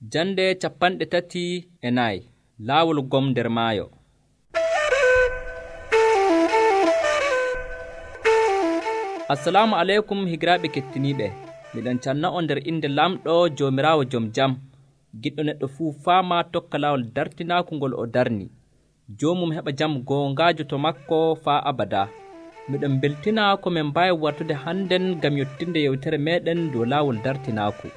Jande 34 Laawol gom nder maayo. Assalamu aleykum higiraaɓe kettiniiɓe. Miɗon canna on nder inde lamɗo Joomiraawo jom jam. Giɗɗo neɗɗo fuu faama tokka laawol dartinaaku ngol o darni. Joomum heɓa jam goongaajo to makko faa abada. Miɗon beltina ko min mbaawi wartude hannden ngam yottinde yewtere meeɗen dow laawol dartinaaku.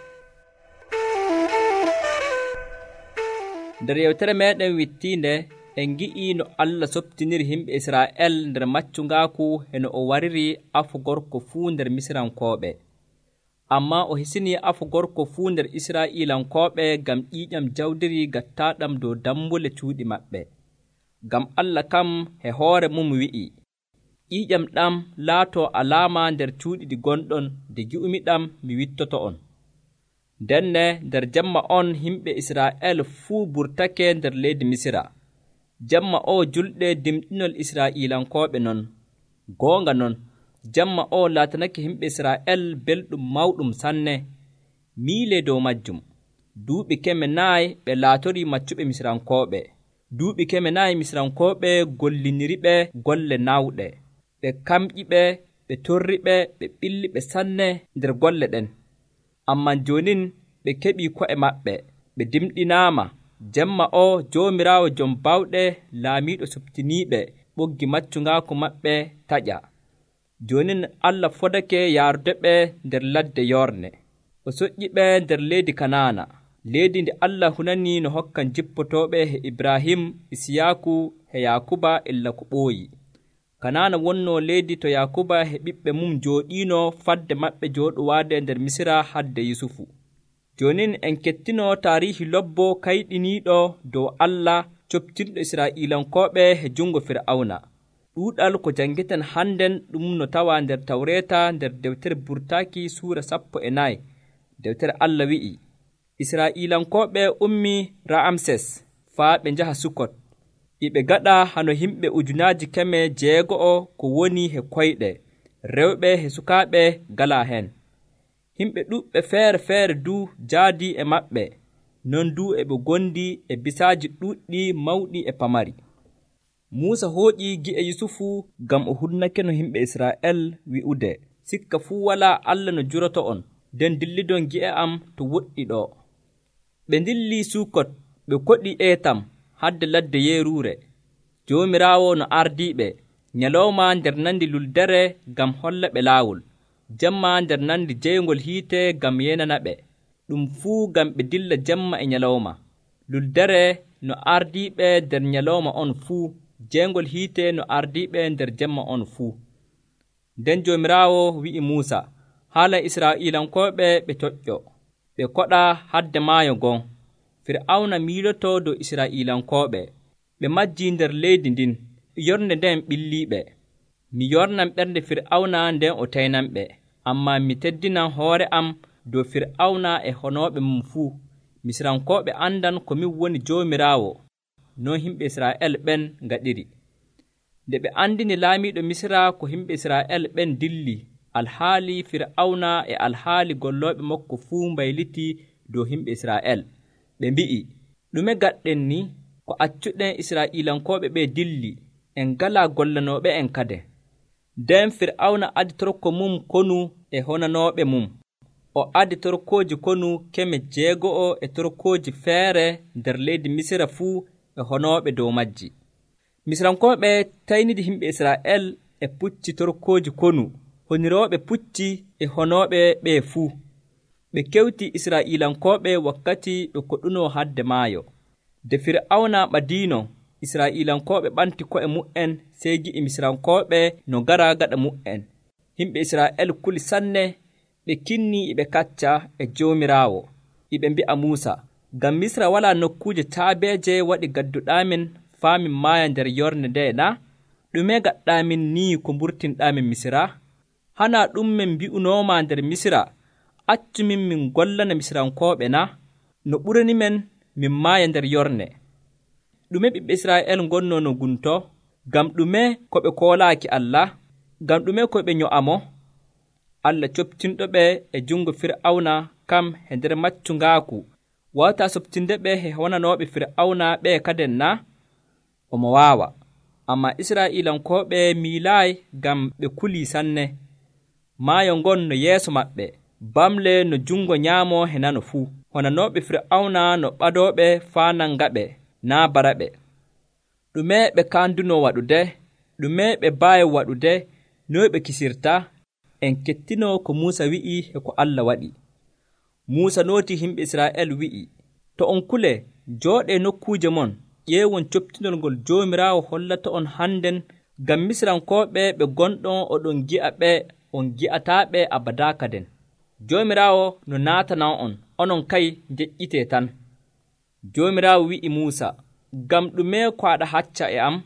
Nder yewtere meeɗen wittiinde en ngi'ii no Allah soptiniri yimɓe Israa'el nder maccungaaku heno o wariri afu gorko fuu nder Misirankooɓe. Ammaa o hisinii afu gorko fuu nder Israa'iilankooɓe ngam ƴiiƴam jawdiri gattaaɗam dow dambule cuuɗi maɓɓe. Ngam Allah kam e hoore mum wi'i, ƴiiƴam ɗam laatoo alaama nder cuuɗi ɗi gonɗon, nde gi'umiɗam mi wittoto on. Ndenne nder jemma on yimɓe Israa'el fuu burtake nder leydi Misira. Jemma o julɗe dimɗinol Israa'iilankooɓe non. Goonga non, jemma o laatanake yimɓe Israa'el belɗum mawɗum sanne. Miilee dow majjum. Duuɓi 4 ɓe laatorii maccuɓe Misirankooɓe. Duuɓi 4 Misirankooɓe golliniriɓe golle nawɗe. Ɓe kamƴiɓe, ɓe torriɓe, ɓe ɓilliɓe sanne nder golle ɗen. Ammaa joonin ɓe keɓii ko'e maɓɓe, ɓe dimɗinaama. Jemma o Joomiraawo jom bawɗe laamiiɗo softiniiɓe ɓoggi maccungaaku maɓɓe taƴa. Joonin Allah fodake yaarudeɓe nder ladde Yorne. O soƴƴiɓe nder leydi Kanaana, leydi ndi Allah hunanii no hokkan jippotooɓe he Ibrahim, Isiyaaku he Yaakuba illa ko ɓooyi. Kanaana wonnoo leydi to Yaakuba he ɓiɓɓe mum jooɗiino fadde maɓɓe jooɗowaade nder Misira hadde Yusufu. Joonin en kettinoo taariihi lobbo kayɗiniiɗo dow Allah coptirɗo Israa'iilankooɓe he jungo Fir'awna. Ɗuuɗal ko janngeten hannden ɗum no tawaa nder Tawreeta nder deftere Burtaaki suura 14. Deftere Allah wi'i, Israa'iilankooɓe ummii Ra'amses faa ɓe njaha Sukot. Iɓe gaɗa hano yimɓe 600,000 ko woni he koyɗe, rewɓe he sukaaɓe galaa heen. Yimɓe ɗuuɓɓe feere duu jaadii e maɓɓe, non duu e ɓe gondi e bisaaji ɗuuɗɗi mawɗi e pamari. Muusa hooƴii gi'e Yusufu ngam o hunnake no yimɓe Israa'el wi'ude, sikka fuu walaa Allah no juroto on, nden dillidon gi'e am to woɗɗi ɗo. Ɓe ndillii Sukot, ɓe koɗii Eetam hadde ladde Yeeruure. Joomiraawo no ardiiɓe, nyalawma nder nandi luldere ngam holla ɓe laawol, jemma nder nandi jeyngol hiite ngam yenana ɓe, ɗum fuu ngam ɓe dilla jemma e nyalawma. Luldere no ardiiɓe nder nyalawma on fuu, jeyngol hiite no ardiiɓe nder jemma on fuu. Nden Joomiraawo wi'i Muusa, haala Israa'iilankooɓe ɓe coƴƴo, ɓe koɗa hadde maayo gon. Fir'awna miilotoo dow Israa'iilankooɓe. Ɓe majjii nder leydi ndin, yornde nden ɓilliiɓe. Mi yornan ɓernde Fir'awna nden o taynanɓe, ammaa mi teddinan hoore am dow Fir'awna e honooɓe mum fuu. Misirankooɓe andan ko min woni Joomiraawo. Non yimɓe Israa'el ɓen ngaɗiri. Nde ɓe andini laamiiɗo Misira ko yimɓe Israa'el ɓen dilli, alhaali Fir'awna e alhaali gollooɓe makko fuu mbaylitii dow yimɓe Israa'el. Ɓe mbi'i, ɗume gaɗɗen ni ko accuɗen Israa'iilankooɓe ɓe dilli, en ngalaa gollanooɓe en kade. Nden Fir'awna adi torko mum konu e honanooɓe mum. O adi torkooji konu 600 e torkooji feere nder leydi Misira fuu e honooɓe dow majji. Misirankooɓe taynidi yimɓe Israa'el e pucci torkooji konu, honirooɓe pucci e honooɓe ɓe fuu. Ɓe kewtii Israa'iilankooɓe wakkati ɓe koɗunoo hadde maayo. Nde Fir'awna ɓadiino, Israa'iilankooɓe ɓanti ko'e mu'en sey gi'i Misirankooɓe no ngara gaɗa mu'en. Yimɓe Israa'el kuli sanne, ɓe kinnii e ɓe kacca e Joomiraawo. Iɓe mbi'a Muusa, ngam Misra walaa nokkuuje caabeeje waɗi gadduɗaamin faa min maaya nder yornde nde na? Ɗume gaɗɗaamin nii ko mburtinɗaamin Misira? Hanaa ɗum min mbi'unooma nder Misira, accumin min gollana Misirankooɓe na? No ɓuranimen min maaya nder yorne. Ɗume ɓiɓɓe Israa'el ngonnoo no gunto? Ngam ɗume ko ɓe koolaaki Allah? Ngam ɗume ko ɓe nyo'amo? Allah coptinɗo ɓe e jungo Fir'awna kam e nder maccungaaku wawta soɓtinde ɓe e wonanooɓe Fir'awna ɓe kaden na? Omo waawa. Amma Israa'iilankooɓe miilaayi ngam ɓe kulii sanne. Maayo ngon no yeeso maɓɓe, bamle no jungo nyaamo e nano fuu. Wonanooɓe Fir'awna no ɓadooɓe faa nangaɓe, naa baraɓe. Ɗume ɓe kaandunoo waɗude? Ɗume ɓe mbaawi waɗude? Noy ɓe kisirta? En kettinoo ko Muusa wi'i e ko Allah waɗi. Muusa nootii yimɓe Israa'el wi'i, to on kulee, jooɗee nokkuuje mon, ƴeewon coptinol ngol Joomiraawo hollata on hannden, ngam Misrankooɓe ɓe gonɗon oɗon gi'a ɓe, on gi'ataaɓe abadaa kaden. Joomiraawo no naatanan on, onon kay njeƴƴitee tan. Joomiraawo wi'i Muusa, ngam ɗume ko aɗa hacca e am?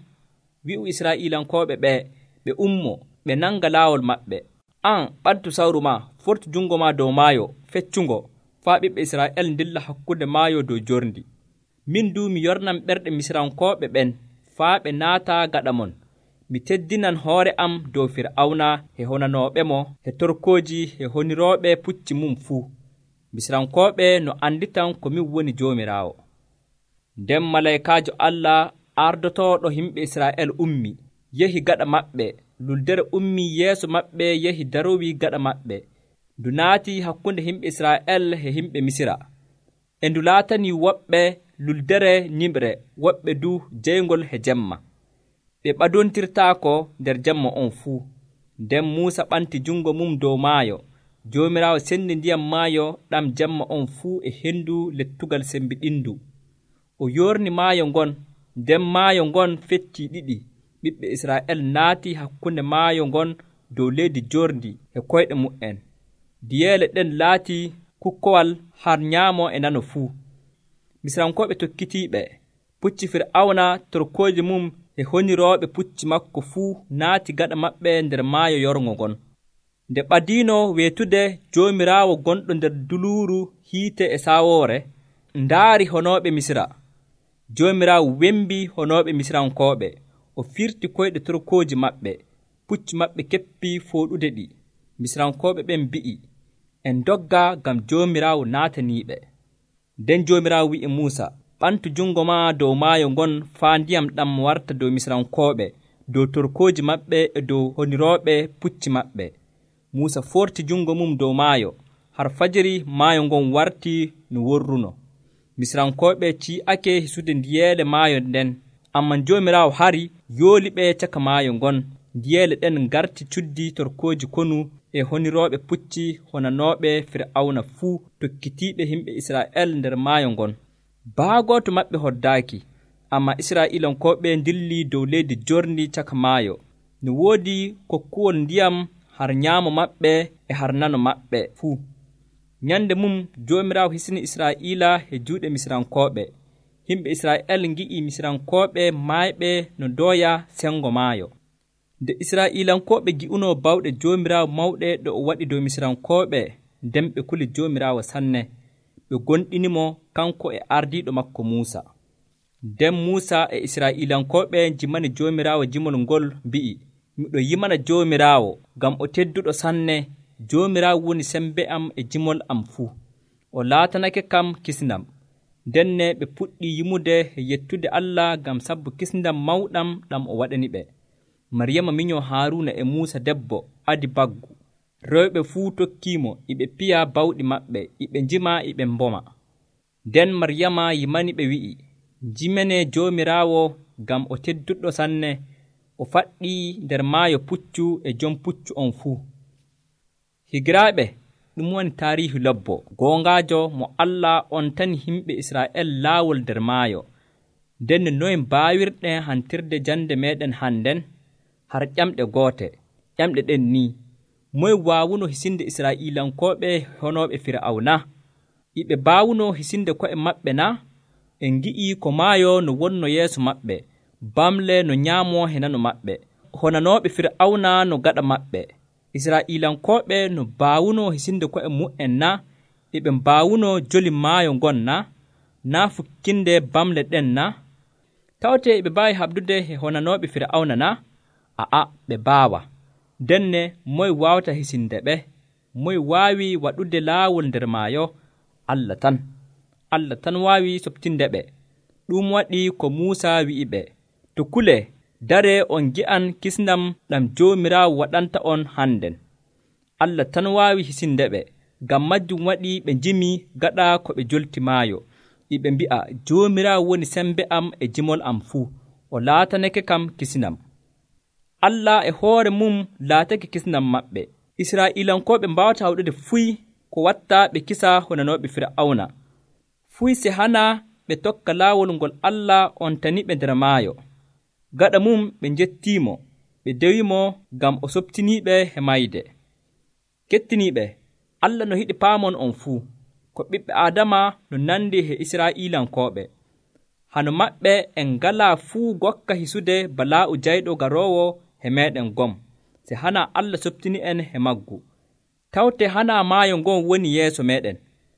Wi'u Israa'iilankooɓe ɓe ummoo, ɓe nanga laawol maɓɓe. An ɓaddu sawru maa, fortu jungo maa dow maayo feccungo, faa ɓiɓɓe Israa'el ndilla hakkunde maayo dow jorndi. Min du mi yornan ɓerɗe Misrankooɓe ɓen, faa ɓe naata gaɗa mon. Mi teddinan hoore am dow Fir'awna e honanooɓe mo e torkooji e honirooɓe pucci mum fuu. Misrankooɓe no anditan ko min woni Joomiraawo. Nden malaykaajo Allah ardotooɗo yimɓe Israa'el ummi, yehi gaɗa maɓɓe. Luldere ummii yeeso maɓɓe yehi darowii gaɗa maɓɓe. Ndu naatii hakkunde yimɓe Israa'el e yimɓe Misira. E ndu laatanii woɓɓe luldere nyimre, woɓɓe du jeyngol e jemma. Ɓe ɓadontirtaako nder jemma on fuu. Nden Muusa ɓanti jungo mum dow maayo. Joomiraawo senni ndiyam maayo ɗam jemma on fuu e hendu lettugal sembiɗindu. O yoorni maayo ngon, nden maayo ngon feccii ɗiɗi. Ɓiɓɓe Israa'el naatii hakkunde maayo ngon dow leydi jorndi e koyɗe mu'en. Diyeele ɗen laatii kukkowal har nyaamo e nano fuu. Misrankooɓe tokkitiiɓe. Pucci Fir'awna, torkooji mum e honirooɓe pucci makko fuu naati gaɗa maɓɓe nder maayo yorngo ngon. Nde ɓadiino weetude Joomiraawo gonɗo nder duluuru hiite e saawoore, ndaari honooɓe Misira. Joomiraawo wembii honooɓe Misrankooɓe. O firti koyɗe torkooji maɓɓe. Pucci maɓɓe keppii fooɗude ɗi. Misrankooɓe ɓen mbi'i, en dogga ngam Joomiraawo naataniiɓe. Nden Joomiraawo wi'i Muusa, ɓantu jungo maa dow maayo ngon faa ndiyam ɗam warta dow Misrankooɓe, dow torkooji maɓɓe e dow honirooɓe pucci maɓɓe. Muusa forti jungo mum dow maayo. Har fajiri maayo ngon wartii no worruno. Misrankooɓe ci'ake hisude ndiyeele maayo nden. Amman Joomiraawo hari yooliɓe caka maayo ngon. Ndiyeele ɗen ngarti cuddi torkooji konu e honirooɓe pucci honanooɓe Fir'awna fuu tokkitiiɓe yimɓe Israa'el nder maayo ngon. Baagooto maɓɓe hoddaaki, amma Israa'iilankooɓe ndillii dow leydi jorndi caka maayo. No woodi kokkuwol ndiyam har nyaamo maɓɓe e har nano maɓɓe fuu. Nyande mum Joomiraawo hisini Israa'iila e juuɗe Misrankooɓe. Yimɓe Israa'el ngi'ii Misrankooɓe maayɓe no dooya sengo maayo. Nde Israa'iilankooɓe gi'unoo bawɗe Joomiraawo mawɗe ɗe o waɗi dow Misrankooɓe, nden ɓe kuli Joomiraawo sanne. Ɓe gonɗinimo kanko e ardiiɗo makko Muusa. Nden Muusa e Israa'iilankooɓe jimani Joomiraawo jimol ngol mbi'i, miɗo yimana Joomiraawo ngam o tedduɗo sanne. Joomiraawo woni sembe am e jimol am fuu. O laatanake kam kisndam. Ndenne ɓe puɗɗii yimude e yettude Allah ngam sabbu kisndam mawɗam ɗam o waɗani ɓe. Maryama minyoo Haaruuna e Muusa debbo adi baggu. Rewɓe fuu tokkiimo, iɓe piya bawɗi maɓɓe, iɓe njima, iɓe mboma. Nden Maryama yimani ɓe wi'i, njimene Joomiraawo ngam o tedduɗo sanne. O faɗɗii nder maayo puccu e jom puccu on fuu. Higiraaɓe, ɗum woni taariihu lobbo goongaajo mo Allah on tani yimɓe Israa'el laawol nder maayo. Nden noye mbaawirɗen hantirde jande meeɗen hannden? Har ƴamɗe goote. Ƴamɗe ɗen ni, moye waawuno hisinde Israa'iilankooɓe honooɓe Fir'awna? Iɓe baawuno hisinde ko'e maɓɓe na? En ngi'ii ko maayo no wonno yeeso maɓɓe, bamle no nyaamo e nano maɓɓe, honanooɓe Fir'awna no gaɗa maɓɓe. Israa'iilankooɓe no baawuno hisinde ko'e mu'en na? Iɓe mbaawuno joli maayo ngon na? Naa fukkinde bamle ɗen na? Tawtee ɓe mbaawi haɓdude e honanooɓe Fir'awna na? A'a, ɓe mbaawa. Denne moye waawata hisinde ɓe? Moye waawi waɗude laawol nder maayo? Allah tan. Allah tan waawi soɓtinde ɓe. Ɗum waɗi ko Muusa wi'i ɓe, to kule dare on ngi'an kisndam ɗam Joomiraawo waɗanta on hannden. Allah tan waawi hisinde ɓe. Ngam majjum waɗi ɓe njimi gaɗa ko ɓe jolti maayo. Ɓe mbi'a, Joomiraawo woni sembe am e jimol am fuu, o laatanake kam kisnam. Allah e hoore mum laatake kisnam maɓɓe. Israa'iilankooɓe mbaawata waɗude fuy ko watta ɓe kisa honanooɓe Fir'awna. Fuy se hana ɓe tokka laawol ngol Allah on tani ɓe nder maayo. Gaɗa mum ɓe njettiimo, ɓe dewimo ngam o soɓtiniiɓe he mayde. Kettiniiɓe, Allah no hiɗi paamon on fuu, ko ɓiɓɓe Aadama no nandi he Israa'iilankooɓe. Hano maɓɓe en ngalaa fuu gokka hisude balaa'u jayɗo garoowo he meeɗen gom, se hana Allah soɓtini en he maggu. Tawte hana maayo ngon woni yeeso meeɗen,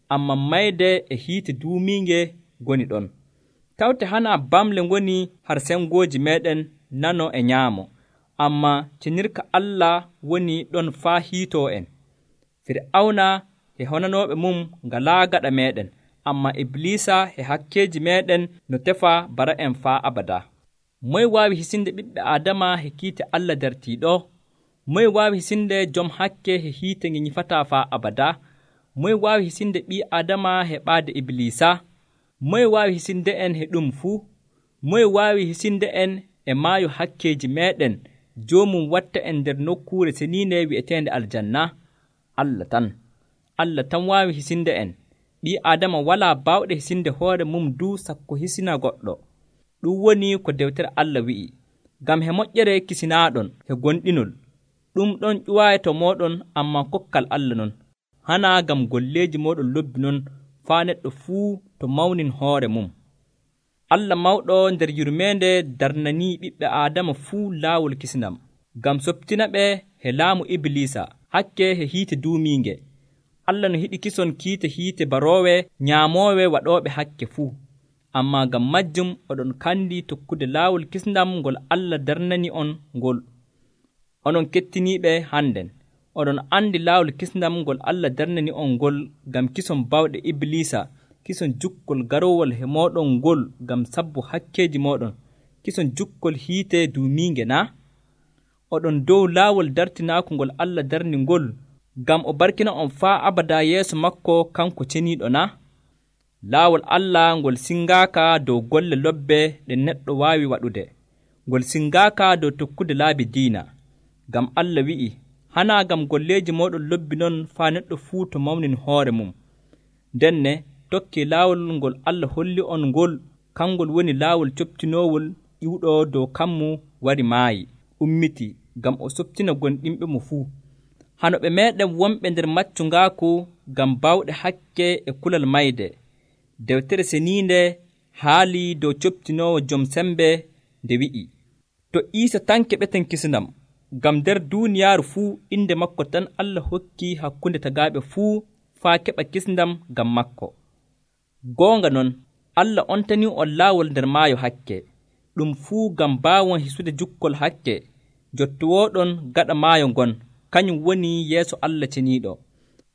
ammaa mayde e hiite duumiinge goni ɗon. Tawte hana bamle ngoni har sengooji meeɗen nano e nyaamo, ammaa cenirka Allah woni ɗon faa hiitoo en. Fir'awna e honanooɓe mum ngalaa gaɗa meeɗen, ammaa Iblisa e hakkeeji meeɗen no tefa bara en faa abada. Moye waawi hisinde ɓiɓɓe Aadama he kiite Allah dartiiɗo? Moye waawi hisinde jom hakke he hiite nge nyifataa faa abada? Moye waawi hisinde ɓii Aadama he ɓaade Iblisa? Moye waawi hisinde en he ɗum fuu? Moye waawi hisinde en e maayo hakkeeji meeɗen joomum watta en nder nokkuure seniinde wi'eteende aljanna? Allah tan waawi hisinde en. Ɓii Aadama walaa baawɗe hisinde hoore mum duu sakko hisina goɗɗo. Ɗum woni ko dewtere Allah wi'i, ngam he moƴƴere kisinaaɗon he gonɗinol. Ɗum ɗon ƴuwaayi to mooɗon, ammaa kokkal Allah non. Hana ngam golleeji mooɗon lobbi non faa neɗɗo fuu to mawnin hoore mum. Allah mawɗo nder yurmeende darnanii ɓiɓɓe Aadama fuu laawol kisnam, ngam soɓtina ɓe he laamu Iblisa hakke he hiite duumiinge. Allah no hiɗi kison kiite hiite baroowe nyaamoowe waɗooɓe hakke fuu. Ammaa ngam majjum oɗon kandi tokkude laawol kisndam ngol Allah darnani on ngol. Onon kettiniiɓe hannden, oɗon andi laawol kisndam ngol Allah darnani on ngol ngam kison bawɗe Iblisa, kison jukkol garowol he mooɗon ngol ngam sabbu hakkeeji mooɗon, kison jukkol hiite duumiinge na? Oɗon dow laawol dartinaaku ngol Allah darni ngol, ngam o barkina on faa abada yeeso makko kanko ceniiɗo na? Laawol Allah ngol singaaka dow golle lobbe ɗe neɗɗo waawi waɗude, ngol singaaka dow tokkude laabi diina. Ngam Allah wi'i, hana ngam golleeji mooɗon lobbi non faa neɗɗo fuu to mawnin hoore mum. Ndenne tokki laawol ngol Allah holli on ngol, kangol woni laawol coɓtinoowol ƴiwɗo dow kammu wari maayi, ummiti, ngam o soɓtina gonɗinɓe mo fuu. Hano ɓe meeɗen wonɓe nder maccu ngaaku ngam bawɗe hakke e kulal mayde. Dewtere seniinde haali dow coɓtinoowo jom sembe nde wi'i, to Iisa tan keɓeten kisnam, ngam nder duuniyaaru fuu inde makko tan Allah hokki hakkunde tagaaɓe fuu faa keɓa kisndam ngam makko. Goonga non, Allah ontanii on laawol nder maayo hakke, ɗum fuu ngam baawon hisude jukkol hakke jottowooɗon gaɗa maayo ngon, kañum woni yeeso Allah ceniiɗo.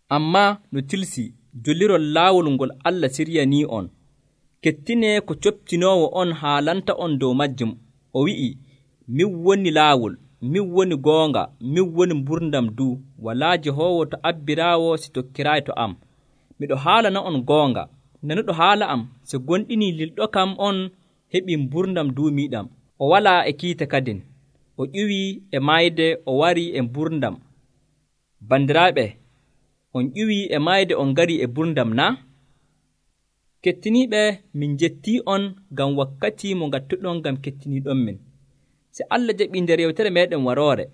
Ammaa no tilsi jolirol laawol ngol Allah siryanii on. Kettinee ko coɓtinoowo on haalanta on dow majjum. O wi'i, min woni laawol, min woni goonga, min woni mburdam duu. Walaa Jehoowo to abbiraawo si tokkiraayi to am. Miɗo haalana on goonga. Nanuɗo haala am, so gonɗinii lilɗo kam on heɓii mburdam duumiiɗam. O walaa e kiite kadin. O ƴuwii e maayde, o warii e mburdam. Bandiraaɓe, on ƴuwii e maayde on ngarii e mburdam na? Kettiniiɓe, min njettii on ngam wakkati mo ngattuɗon ngam kettiniiɗon min. Si Allah jaɓii nder yewtere meeɗen waroore,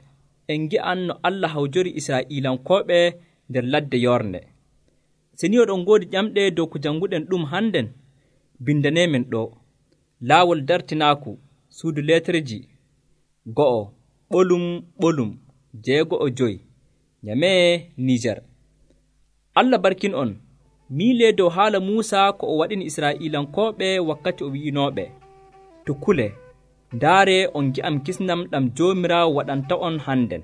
en ngi'an no Allah hawjori Israa'iilankooɓe nder ladde yornde. Se ni oɗon ngoodi ƴamɗe dow ko jannguɗen ɗum hannden, bindaneemen ɗo. Laawol dartinaaku, suudu leetereji 1 ɓolum 6 Nyamee Niger. Allah barkin on. Miilee dow haala Muusa ko o waɗini Israa'iilankooɓe wakkati o wi'inooɓe, to kule, ndaare on ngi'am kisnam ɗam Joomiraawo waɗanta on hannden.